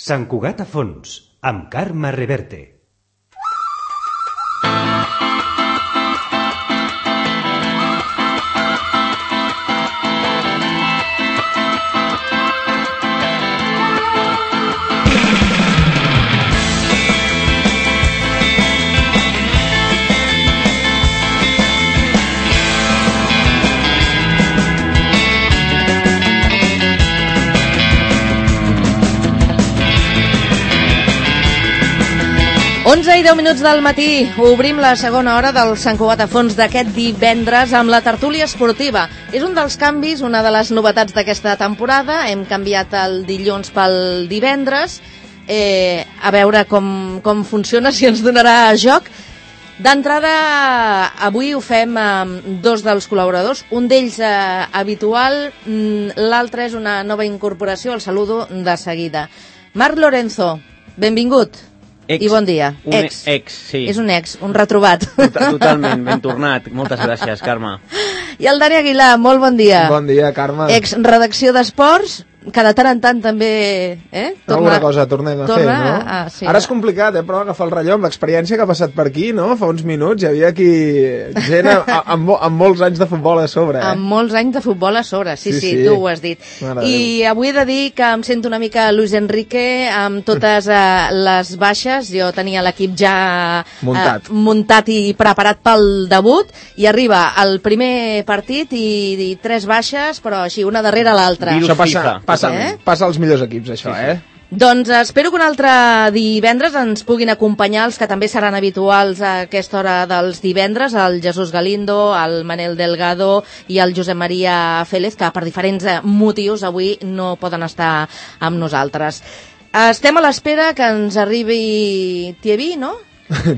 Sant Cugat a fons, amb Carme Reverte. Onze i 10 minuts del matí, obrim la segona hora del Sant Cugat a fons d'aquest divendres amb la tertúlia esportiva. És un dels canvis, una de les novetats d'aquesta temporada. Hem canviat el dilluns pel divendres. A veure com funciona, si ens donarà joc. D'entrada, avui ho fem amb dos dels col·laboradors. Un d'ells habitual, l'altre és una nova incorporació. El saludo de seguida. Marc Lorenzo, benvingut. I bon dia. Ex, sí. És un ex, un retrobat. Totalment, ben tornat. Moltes gràcies, Carme. I el Dani Aguilar, molt bon dia. Bon dia, Carme. Ex redacció d'esports, que de tant en tant també... Alguna cosa tornem a fer, no? Sí, ara és complicat, però agafar el rellò amb l'experiència que ha passat per aquí, no? Fa uns minuts hi havia aquí gent amb molts anys de futbol a sobre. Amb molts anys de futbol a sobre, sí, tu ho has dit. I avui he de dir que em sento una mica Luis Enrique amb totes les baixes. Jo tenia l'equip ja muntat i preparat pel debut, i arriba el primer partit i 3 baixes, però així, una darrere l'altra. Això passa als millors equips, això, Doncs espero que un altre divendres ens puguin acompanyar els que també seran habituals a aquesta hora dels divendres, el Jesús Galindo, el Manel Delgado i el Josep Maria Félez, que per diferents motius avui no poden estar amb nosaltres. Estem a l'espera que ens arribi Thierry, no?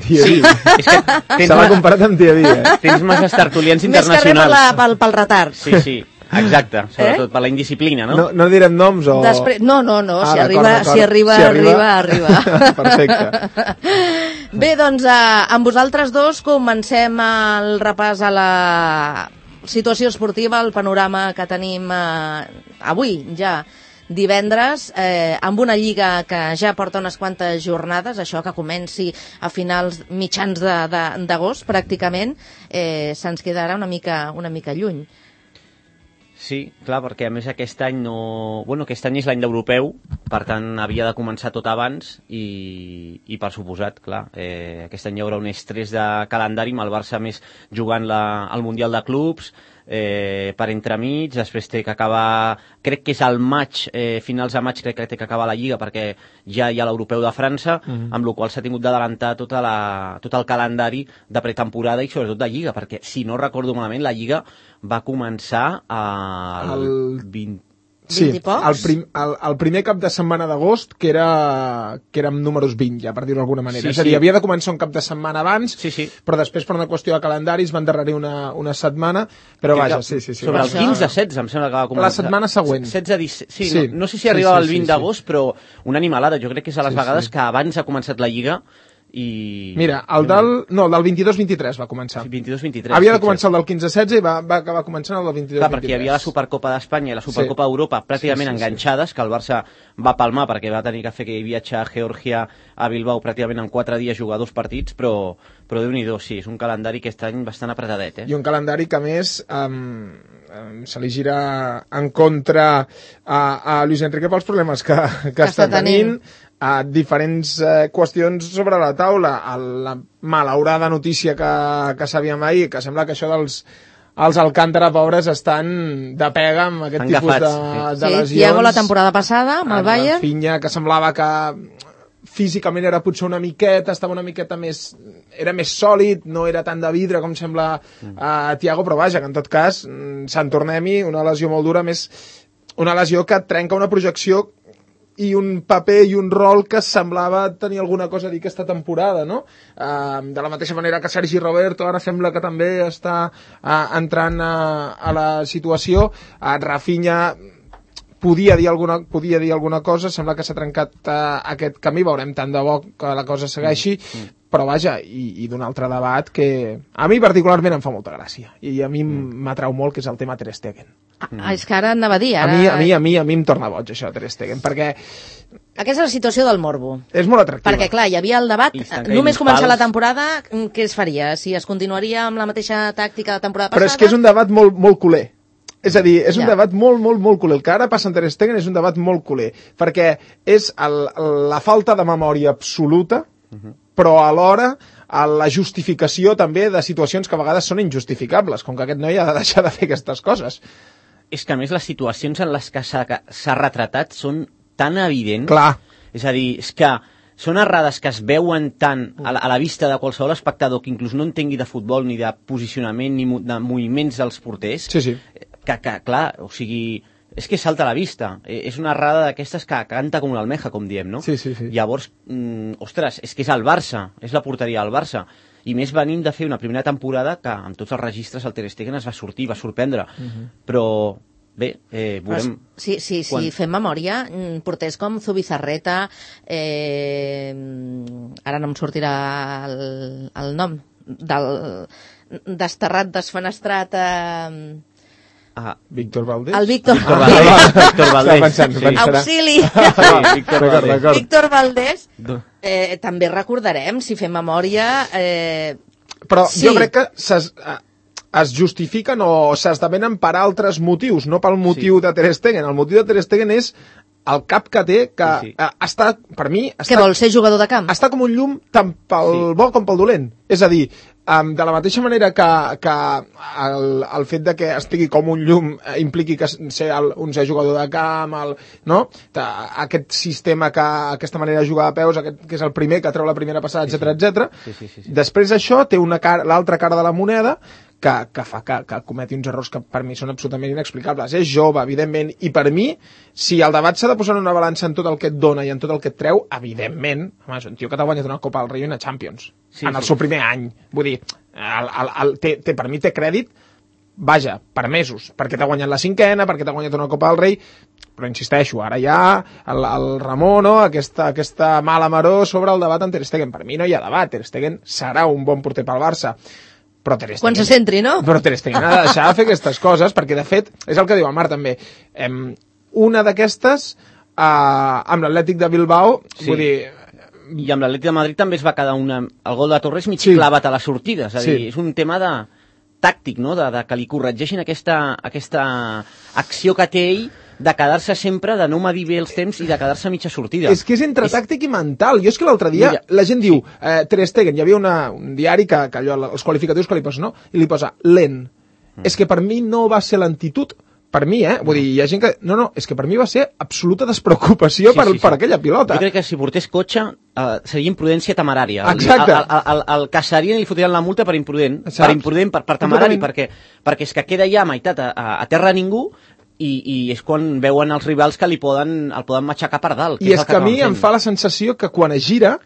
Thierry. Se l'ha comparat amb Thierry, Tens masses tertulians internacionals. Més que res pel retard. Sí. Exacte, sobretot per la indisciplina, no? No direm noms o... No, si arriba. Perfecte. Bé, doncs, amb vosaltres dos comencem el repàs a la situació esportiva, el panorama que tenim avui, ja divendres, amb una lliga que ja porta unes quantes jornades. Això que comenci a mitjans d'agost, pràcticament, se'ns quedarà una mica lluny. Sí, clar, perquè a més aquest any aquest any és l'any d'europeu, per tant havia de començar tot abans i per suposat, clar, aquest any hi haurà un estrès de calendari amb el Barça més jugant el Mundial de Clubs, per entremig, després té que acabar, crec que és al maig, finals de maig crec que té que acabar la Lliga, perquè ja hi ha l'Europeu de França, amb la qual s'ha tingut d'adelantar tot el calendari de pretemporada i sobretot de Lliga, perquè si no recordo malament la Lliga va començar el 20... Sí, el primer cap de setmana d'agost, que era amb números 20, ja, per dir-ho d'alguna manera. És a dir, havia de començar un cap de setmana abans, però després, per una qüestió de calendari, es va endarrerir una setmana, però vaja, sí. Sobre el 15-16, em sembla que va començar. La setmana següent. 16-17, no sé si arribava el 20 d'agost, però una animalada. Jo crec que és a les vegades que abans ha començat la Lliga. Mira, el del 22-23 va començar. 22-23. Havia de començar el del 15-16 i va acabar començant el del 22-23. Clar, perquè hi havia la Supercopa d'Espanya i la Supercopa d'Europa pràcticament enganxades, que el Barça va palmar perquè va tenir que fer aquell viatge a Geòrgia, a Bilbao, pràcticament en 4 dies jugar 2 partits, però Déu-n'hi-do, sí, és un calendari que aquest any bastant apretadet. I un calendari que, a més, se li gira en contra a Luis Enrique pels problemes que està tenint, diferents qüestions sobre la taula. La malaurada notícia que sabíem ahir, que sembla que això els Alcántara pobres estan de pega amb aquest tipus de lesions. Thiago la temporada passada amb el Bayern. Rafinha, que semblava que físicament era potser una miqueta, estava una miqueta més... Era més sòlid, no era tant de vidre com sembla Thiago, però vaja, que en tot cas, Sant Tornem-hi, una lesió molt dura, més una lesió que trenca una projecció i un paper i un rol que semblava tenir alguna cosa a dir aquesta temporada, no? De la mateixa manera que Sergi Roberto ara sembla que també està entrant a la situació. Rafinha podia dir alguna cosa, sembla que s'ha trencat aquest camí, veurem tant de bo que la cosa segueixi, però vaja, i d'un altre debat que a mi particularment em fa molta gràcia, i a mi m'atrau molt, que és el tema Ter Stegen. És que ara anava a dir... A mi em torna boig, això, Ter Stegen, perquè... Aquesta és la situació del morbo. És molt atractiva. Perquè, clar, hi havia el debat, només començar la temporada, què es faria? Si es continuaria amb la mateixa tàctica de la temporada passada... Però és que és un debat molt, molt culer. És a dir, és un debat molt, molt, molt culer. El que ara passa en Ter Stegen és un debat molt culer, perquè és la falta de memòria absoluta, però alhora la justificació també de situacions que a vegades són injustificables, com que aquest noi ha de deixar de fer aquestes coses. És que, a més, les situacions en les que s'ha retratat són tan evidents. Clar. És a dir, és que són errades que es veuen tant a la vista de qualsevol espectador que inclús no entengui de futbol, ni de posicionament, ni de moviments dels porters, Sí. que clar, o sigui, és que salta a la vista. És una errada d'aquestes que canta com una almeja, com diem, no? Sí. Llavors, ostres, és que és el Barça, és la porteria del Barça. I més venint de fer una primera temporada que amb tots els registres el Ter Stegen es va sortir, va sorprendre. Però bé, veurem... Sí, fem memòria, porters com Zubizarreta, ara no em sortirà el nom, desterrat, desfenestrat... Víctor Valdés? El Víctor Valdés. Auxili. Víctor Valdés. També recordarem, si fem memòria... Però jo crec que es justifiquen o s'esdevenen per altres motius, no pel motiu de Ter Stegen. El motiu de Ter Stegen és el cap que té, que està, per mi... Què vol, ser jugador de camp? Està com un llum tant pel bo com pel dolent. És a dir, de la mateixa manera que el fet de que estigui com un llum impliqui que ser ser jugador de camp, no? Aquest sistema, aquesta manera de jugar a peus, que és el primer que treu la primera passada, etc. Després això té l'altra cara de la moneda, que fa que cometi uns errors que per mi són absolutament inexplicables. És jove, evidentment, i per mi, si el debat s'ha de posar en una balança en tot el que et dona i en tot el que et treu, evidentment, home, és un tio que t'ha guanyat una Copa del Rei i una Champions, en el seu primer any. Vull dir, per mi té crèdit, vaja, per mesos, perquè t'ha guanyat la 5ª, perquè t'ha guanyat una Copa del Rei, però insisteixo, ara hi ha el Ramon, no? aquesta mala maror sobre el debat amb Ter Stegen. Per mi no hi ha debat, Ter Stegen serà un bon porter pel Barça, però Ter Stegen, quan se centri, no? Però Ter Stegen ha de deixar de fer aquestes coses, perquè de fet, és el que diu el Marc també, una d'aquestes amb l'Atlètic de Bilbao, vull dir... I amb l'Atlètic de Madrid també es va quedar el gol de Torres mig clavat a la sortida, és a dir, és un tema tàctic, no? De que li corregeixin aquesta acció que té ell de quedar-se sempre, de no medir bé els temps i de quedar-se a mitja sortida. És que és entre tàctic i mental. Jo és que l'altre dia la gent diu Ter Stegen, hi havia un diari que allò, els qualificatius que li posa, no? I li posa lent. És que per mi no va ser lentitud, per mi, vull dir, hi ha gent que... No, és que per mi va ser absoluta despreocupació per aquella pilota. Jo crec que si portés cotxe seria imprudència temerària. Exacte. El caçarien i li fotrien la multa per imprudent, per temerari, perquè és que queda ja a meitat a terra ningú, i és quan veuen els rivals que el poden matxacar per dalt. I és que a mi em fa la sensació que quan es gira,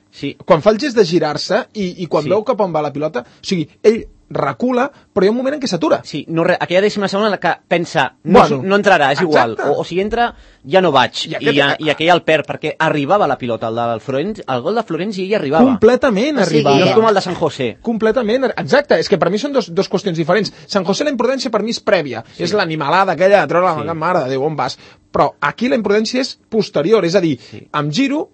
quan fa el gest de girar-se i quan veu cap on va la pilota, o sigui, ell recula, però hi ha un moment en què s'atura. Sí, aquella dècima segona en la que pensa no entrarà, és igual, o si entra ja no vaig, i aquella el perd, perquè arribava la pilota, el gol de Florenzi ell arribava. Completament arribava. No és com el de San José. Completament, exacte, és que per mi són dos qüestions diferents. San José la imprudència per mi és prèvia, és l'animalada aquella de treure la mare de Déu, on vas? Però aquí la imprudència és posterior, és a dir, em giro,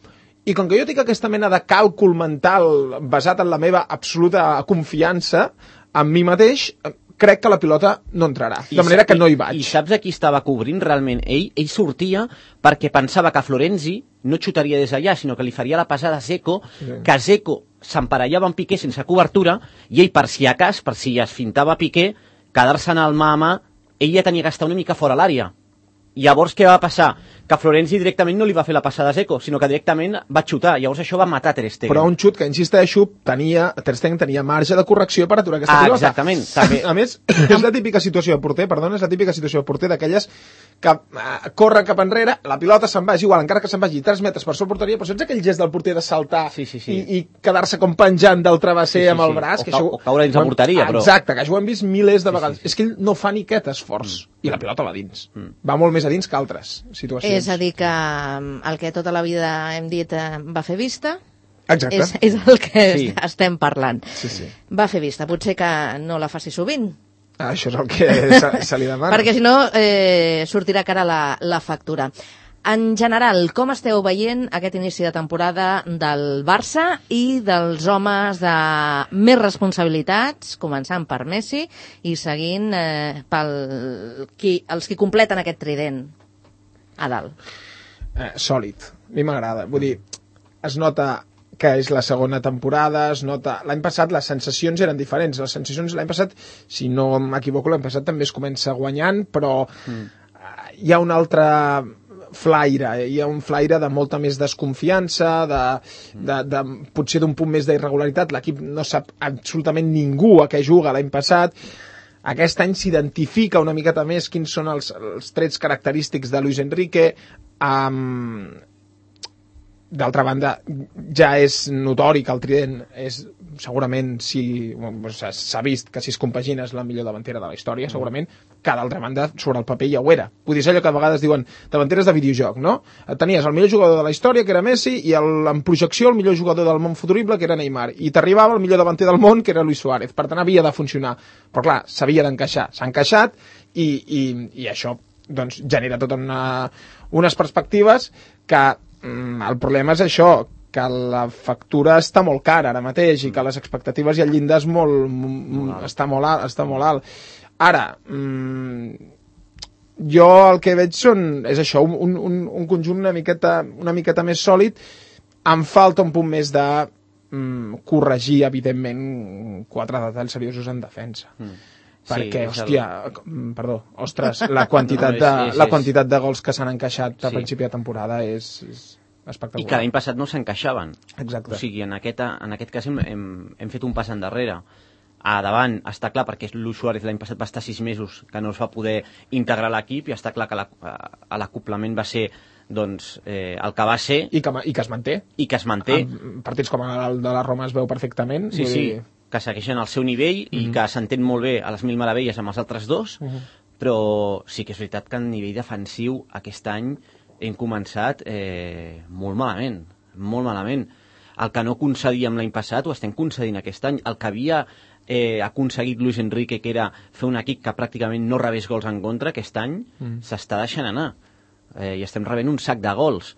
i com que jo tinc aquesta mena de càlcul mental basat en la meva absoluta confiança en mi mateix, crec que la pilota no entrarà, de manera que no hi vaig. I saps a qui estava cobrint realment? Ell sortia perquè pensava que Florenzi no xutaria des d'allà, sinó que li faria la passada a Dzeko, que Dzeko s'emparellava amb Piqué sense cobertura, i ell, per si es fintava Piqué, quedar-se'n al mà a mà, ell ja tenia que estar una mica fora l'àrea. Llavors, què va passar? Que Florenzi directament no li va fer la passada a Dzeko, sinó que directament va xutar. Llavors això va matar Ter Stegen. Però un xut que, insisteixo, Ter Stegen tenia marge de correcció per aturar aquesta pilota. Exactament. També. A més, és la típica situació de porter, d'aquelles que corre cap enrere, la pilota se'n va, és igual, encara que se'n vagi 3 metres per sobre porteria, però saps aquell gest del porter de saltar i quedar-se com penjant del travesser amb el braç? O caure dins la porteria, però... Exacte, que això ho hem vist milers de vegades. És que ell no fa ni aquest esforç, i la pilota va dins. Va molt més a dins que altres situacions. És a dir, que el que tota la vida hem dit va fer vista, exacte, és el que estem parlant. Sí. Va fer vista, potser que no la faci sovint, Això és el que se li demana. Perquè si no sortirà cara la factura. En general, com esteu veient aquest inici de temporada del Barça i dels homes de més responsabilitats, començant per Messi i seguint els qui completen aquest trident a dalt? Sòlid. A mi m'agrada. Vull dir, es nota que és la segona temporada, es nota... L'any passat les sensacions eren diferents. Les sensacions l'any passat, si no m'equivoco, l'any passat també es comença guanyant, però hi ha un altre flaire, hi ha un flaire de molta més desconfiança, de potser d'un punt més d'irregularitat. L'equip no sap absolutament ningú a què juga l'any passat. Aquest any s'identifica una miqueta més quins són els trets característics de Luis Enrique. D'altra banda, ja és notori que el trident és, segurament, s'ha vist que si es compagina és la millor davantera de la història, segurament, que d'altra banda, sobre el paper ja ho era. Vull dir, és allò que a vegades diuen davanteres de videojoc, no? Tenies el millor jugador de la història, que era Messi, i en projecció el millor jugador del món futurible, que era Neymar, i t'arribava el millor davanter del món, que era Luis Suárez. Per tant, havia de funcionar. Però clar, s'havia d'encaixar. S'ha encaixat i això doncs, genera totes unes perspectives que el problema és això, que la factura està molt cara ara mateix i que les expectatives i el llindar està molt alt. Ara, jo el que veig és això, un conjunt una miqueta més sòlid. Em falta un punt més de corregir, evidentment, 4 detalls seriosos en defensa. Perquè, la quantitat de gols que s'han encaixat a principi de temporada és espectacular. I que l'any passat no s'encaixaven. Exacte. O sigui, en aquest cas hem fet un pas endarrere. A davant està clar, perquè Luis Suárez l'any passat va estar 6 mesos que no es va poder integrar a l'equip, i està clar que l'acoplament va ser doncs, el que va ser. I que es manté. I que es manté. Partits com el de la Roma es veu perfectament. Sí, que segueixen al seu nivell i que s'entén molt bé a les mil meravelles amb els altres dos, però sí que és veritat que a nivell defensiu aquest any hem començat molt malament, molt malament. El que no concedíem l'any passat ho estem concedint aquest any. El que havia aconseguit Luis Enrique, que era fer un equip que pràcticament no rebés gols en contra, aquest any s'està deixant anar. I estem rebent un sac de gols.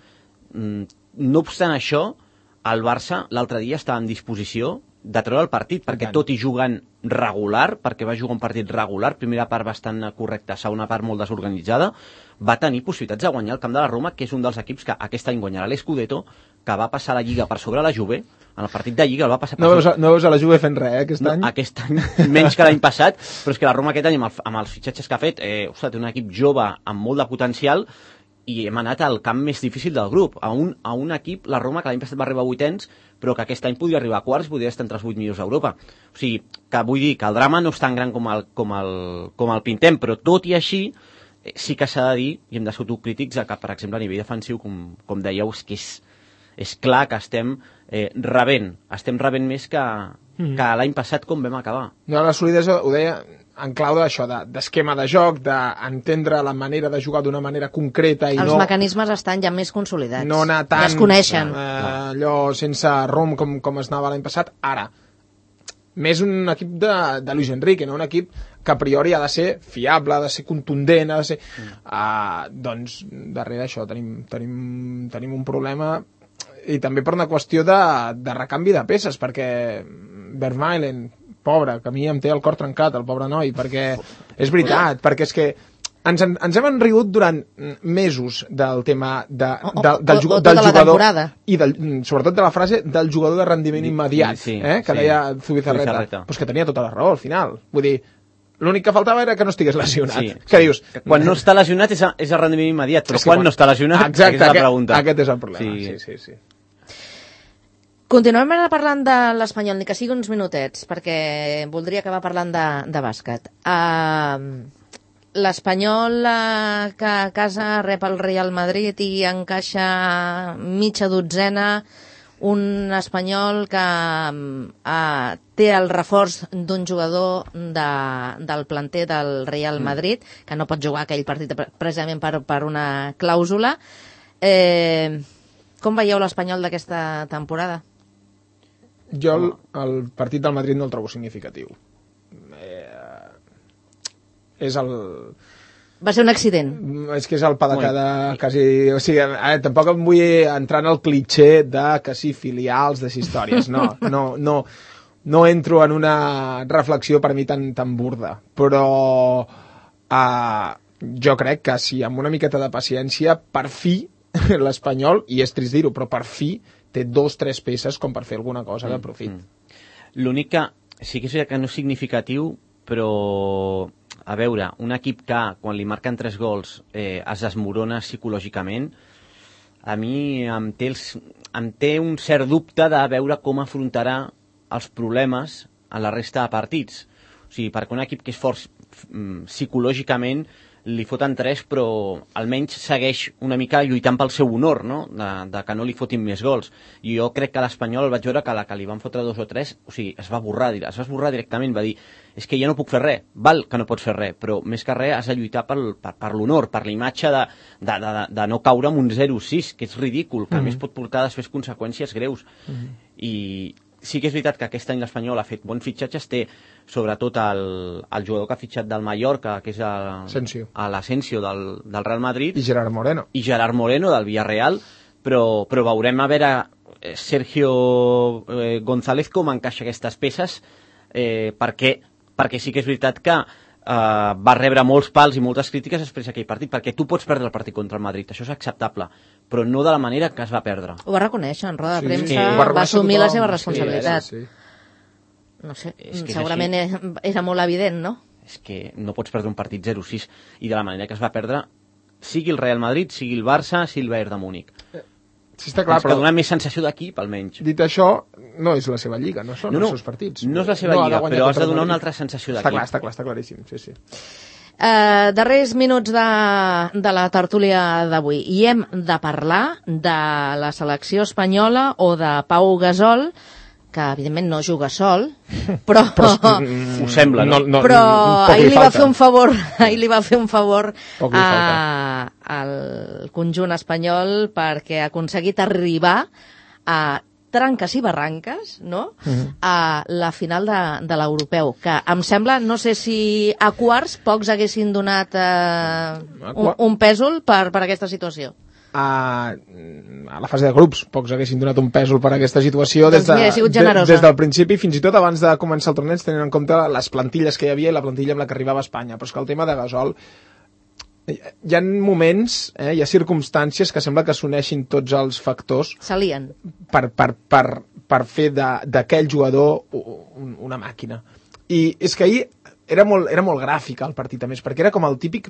No obstant això, el Barça l'altre dia estava en disposició de treure el partit, perquè tot i jugant regular, perquè va jugar un partit regular, primera part bastant correcta, segona part molt desorganitzada, va tenir possibilitats de guanyar el camp de la Roma, que és un dels equips que aquest any guanyarà l'Scudetto, que va passar la Lliga per sobre la Juve, en el partit de Lliga el va passar per sobre... No veus a la Juve fent res, aquest any? Aquest any, menys que l'any passat, però és que la Roma aquest any, amb els fitxatges que ha fet, té un equip jove amb molt de potencial, i hem anat al camp més difícil del grup, a un equip, la Roma, que l'any passat va arribar a 8ens, però que aquest any podria arribar a quarts, podria estar entre els 8 millors d'Europa. O sigui, que vull dir que el drama no és tan gran com el pintem, però tot i així, sí que s'ha de dir, i hem de ser autocrítics, que, per exemple, a nivell defensiu, com dèieu, és clar que estem rebent més que l'any passat com vam acabar. No, la solidesa, ho deia, en clau d'això, d'esquema de joc, d'entendre la manera de jugar d'una manera concreta i els mecanismes estan ja més consolidats. No anar tant... Ja es coneixen. Allò sense rom com es anava l'any passat. Ara, més un equip de Luis Enrique, no? Un equip que a priori ha de ser fiable, ha de ser contundent, ha de ser... doncs, darrere això tenim un problema, i també per una qüestió de recanvi de peces, perquè Vermaelen, pobre, que a mi em té el cor trencat, el pobre noi, perquè és veritat, perquè és que ens hem enrigut durant mesos del tema del jugador i sobretot de la frase del jugador de rendiment immediat, que deia Zubizarreta, però és que tenia tota la raó al final. Vull dir, l'únic que faltava era que no estigués lesionat. Sí. Què dius? Quan no està lesionat és el rendiment immediat, però quan no està lesionat, exacte, és la pregunta. Aquest és el problema. Sí. Continuem ara parlant de l'Espanyol, ni que sigui uns minutets, perquè voldria acabar parlant de bàsquet. L'Espanyol que a casa rep el Real Madrid i encaixa mitja dotzena, un Espanyol que té el reforç d'un jugador del planter del Real Madrid, que no pot jugar aquell partit precisament per una clàusula. Com veieu l'Espanyol d'aquesta temporada? Jo el partit del Madrid no el trobo significatiu. és el... Va ser un accident. És que és el pa de cada... Quasi, o sigui, tampoc em vull entrar en el clitxé de que sí, filials, de històries. No entro en una reflexió per mi tan burda. Però jo crec que si amb una miqueta de paciència, per fi, l'Espanyol, i és trist dir-ho, però per fi té 2-3 peces com per fer alguna cosa de profit. L'únic que sí que és que no és significatiu, però a veure, un equip que quan li marquen 3 gols es desmorona psicològicament, a mi em té un cert dubte de veure com afrontarà els problemes a la resta de partits. O sigui, perquè un equip que és fort psicològicament li foten 3, però almenys segueix una mica lluitant pel seu honor, no? De que no li fotin més gols. I jo crec que l'Espanyol vaig veure que la que li van fotre 2 o 3, o sigui, es va esborrar directament, va dir, és que ja no puc fer res, val que no pots fer res, però més que res has de lluitar per l'honor, per la imatge de no caure amb un 0-6, que és ridícul, que a més pot portar després conseqüències greus. I sí que és veritat que aquest any l'Espanyol ha fet bons fitxatges, té sobretot el jugador que ha fitxat del Mallorca, que és l'Asensio del Real Madrid, i Gerard Moreno del Villarreal, però veurem a veure Sergio González com encaixa aquestes peces, perquè sí que és veritat que va rebre molts pals i moltes crítiques després d'aquell partit, perquè tu pots perdre el partit contra el Madrid, això és acceptable, però no de la manera que es va perdre. Ho va reconèixer en roda de premsa, va assumir la seva responsabilitat. No sé, segurament era molt evident, no? És que no pots perdre un partit 0-6, i de la manera que es va perdre, sigui el Real Madrid, sigui el Barça, sigui el Bayern de Múnich. Sí, està clar, però dona més sensació d'equip, almenys. Dit això, no és la seva lliga, no són els seus partits. No és la seva lliga, però has de donar una altra sensació d'equip. Està claríssim, sí. Darrers minuts de la tertúlia d'avui. I hem de parlar de la selecció espanyola o de Pau Gasol, que evidentment no juga sol, però ho sembla, no? Però ahir li va fer un favor al conjunt espanyol perquè ha aconseguit arribar a tranques i barranques, no? A la final de l'europeu, que em sembla, no sé si a quarts pocs haguessin donat un pèsol per aquesta situació. A la fase de grups pocs haguessin donat un pèsol per aquesta situació des del principi, fins i tot abans de començar el torneig, tenint en compte les plantilles que hi havia i la plantilla amb la que arribava a Espanya. Però és que el tema de Gasol, hi ha moments, hi ha circumstàncies que sembla que s'uneixin tots els factors s'alien per fer d'aquell jugador una màquina. I és que ahir era molt gràfic el partit, a més, perquè era com el típic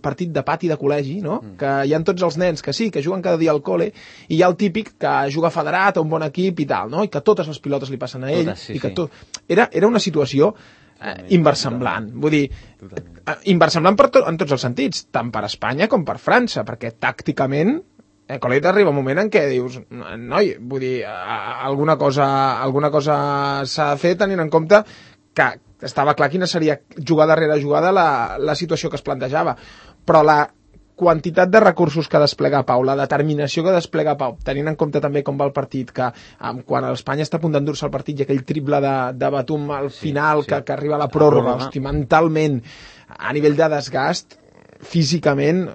partit de pati de col·legi, no? Que hi ha tots els nens que sí, que juguen cada dia al col·le, i hi ha el típic que juga federat a un bon equip i tal, no? I que totes les pilotes li passen a ell. Era una situació inversemblant. Vull dir, inversemblant en tots els sentits, tant per Espanya com per França, perquè tàcticament Colet arriba un moment en què dius, noi, vull dir, alguna cosa s'ha de fer tenint en compte que estava clar quina seria jugada rere jugada la situació que es plantejava, però la quantitat de recursos que desplega Pau, la determinació que desplega Pau, tenint en compte també com va el partit, que quan l'Espanya està a punt d'endur-se el partit i aquell triple de Batum al final que arriba a la pròrroga, hosti, mentalment, a nivell de desgast, físicament,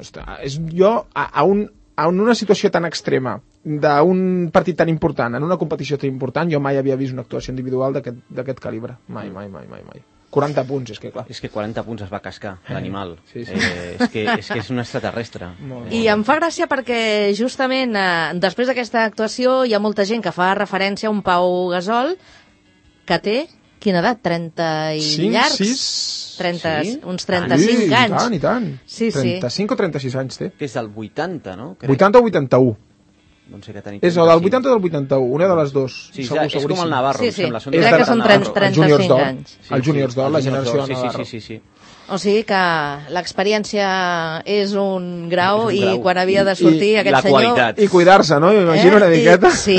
és jo en una situació tan extrema d'un partit tan important, en una competició tan important, jo mai havia vist una actuació individual d'aquest calibre. Mai. 40 punts, és que clar. És que 40 punts es va cascar, l'animal. Sí. És que és un extraterrestre. I em fa gràcia perquè justament després d'aquesta actuació hi ha molta gent que fa referència a un Pau Gasol que té, quina edat? 30 i llargs? 30, uns 35 anys. I tant. Sí. 35 o 36 anys té. Que és del 80, no? 80 o 81. No sé què tenim. És o del 80 o del 81, una de les dues. Sí, és com el Navarro, em sembla. Crec que són 35 anys. El Juniors d'Or, la generació de Navarro. Sí. O sigui que l'experiència és un grau i quan havia de sortir aquest senyor... Qualitat. I cuidar-se, no? M'imagino una miqueta. Sí.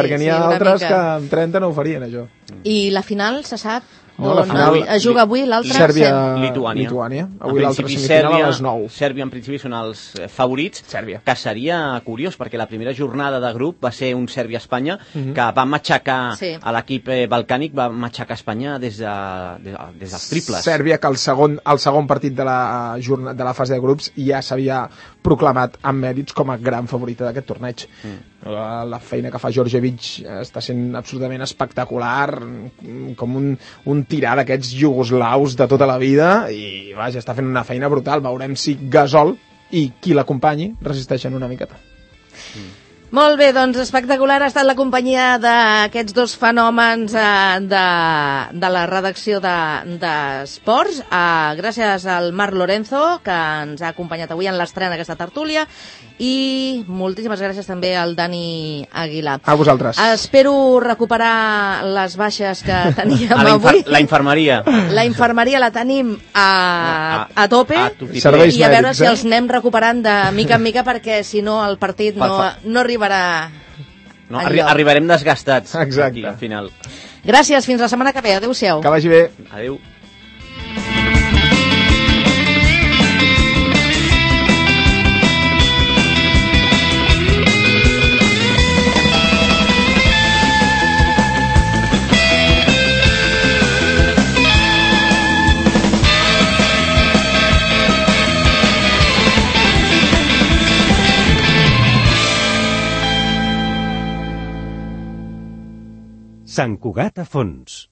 Perquè n'hi ha altres que amb 30 no ho farien, això. I la final se sap No, la final... Es juga avui, l'altre... Sèrbia-Lituània. Avui l'altra semifinal a les 9. Sèrbia, en principi, són els favorits. Sèrbia. Que seria curiós, perquè la primera jornada de grup va ser un Sèrbia-Espanya, que va matxacar a l'equip balcànic, va matxacar Espanya des dels triples. Sèrbia, que el segon partit de la fase de grups ja s'havia proclamat amb mèrits com a gran favorita d'aquest torneig. La feina que fa Djordjevic està sent absolutament espectacular, com un tirà d'aquests iugoslaus de tota la vida, i vaja, està fent una feina brutal. Veurem si Gasol i qui l'acompanyi resisteixen una miqueta. Molt bé, doncs espectacular ha estat la companyia d'aquests dos fenòmens de la redacció d'Esports. Gràcies al Marc Lorenzo, que ens ha acompanyat avui en l'estrena d'aquesta tertúlia, i moltíssimes gràcies també al Dani Aguilar. A vosaltres. Espero recuperar les baixes que teníem avui. La infermeria. La infermeria la tenim a tope, Serveis i a veure mèdics, si els anem recuperant de mica en mica, perquè si no el partit no arribarà enlloc. Arribarem desgastats. Exacte. Aquí, al final. Gràcies, fins la setmana que ve. Adéu-siau. Que vagi bé. Adéu. Sant Cugat a fons.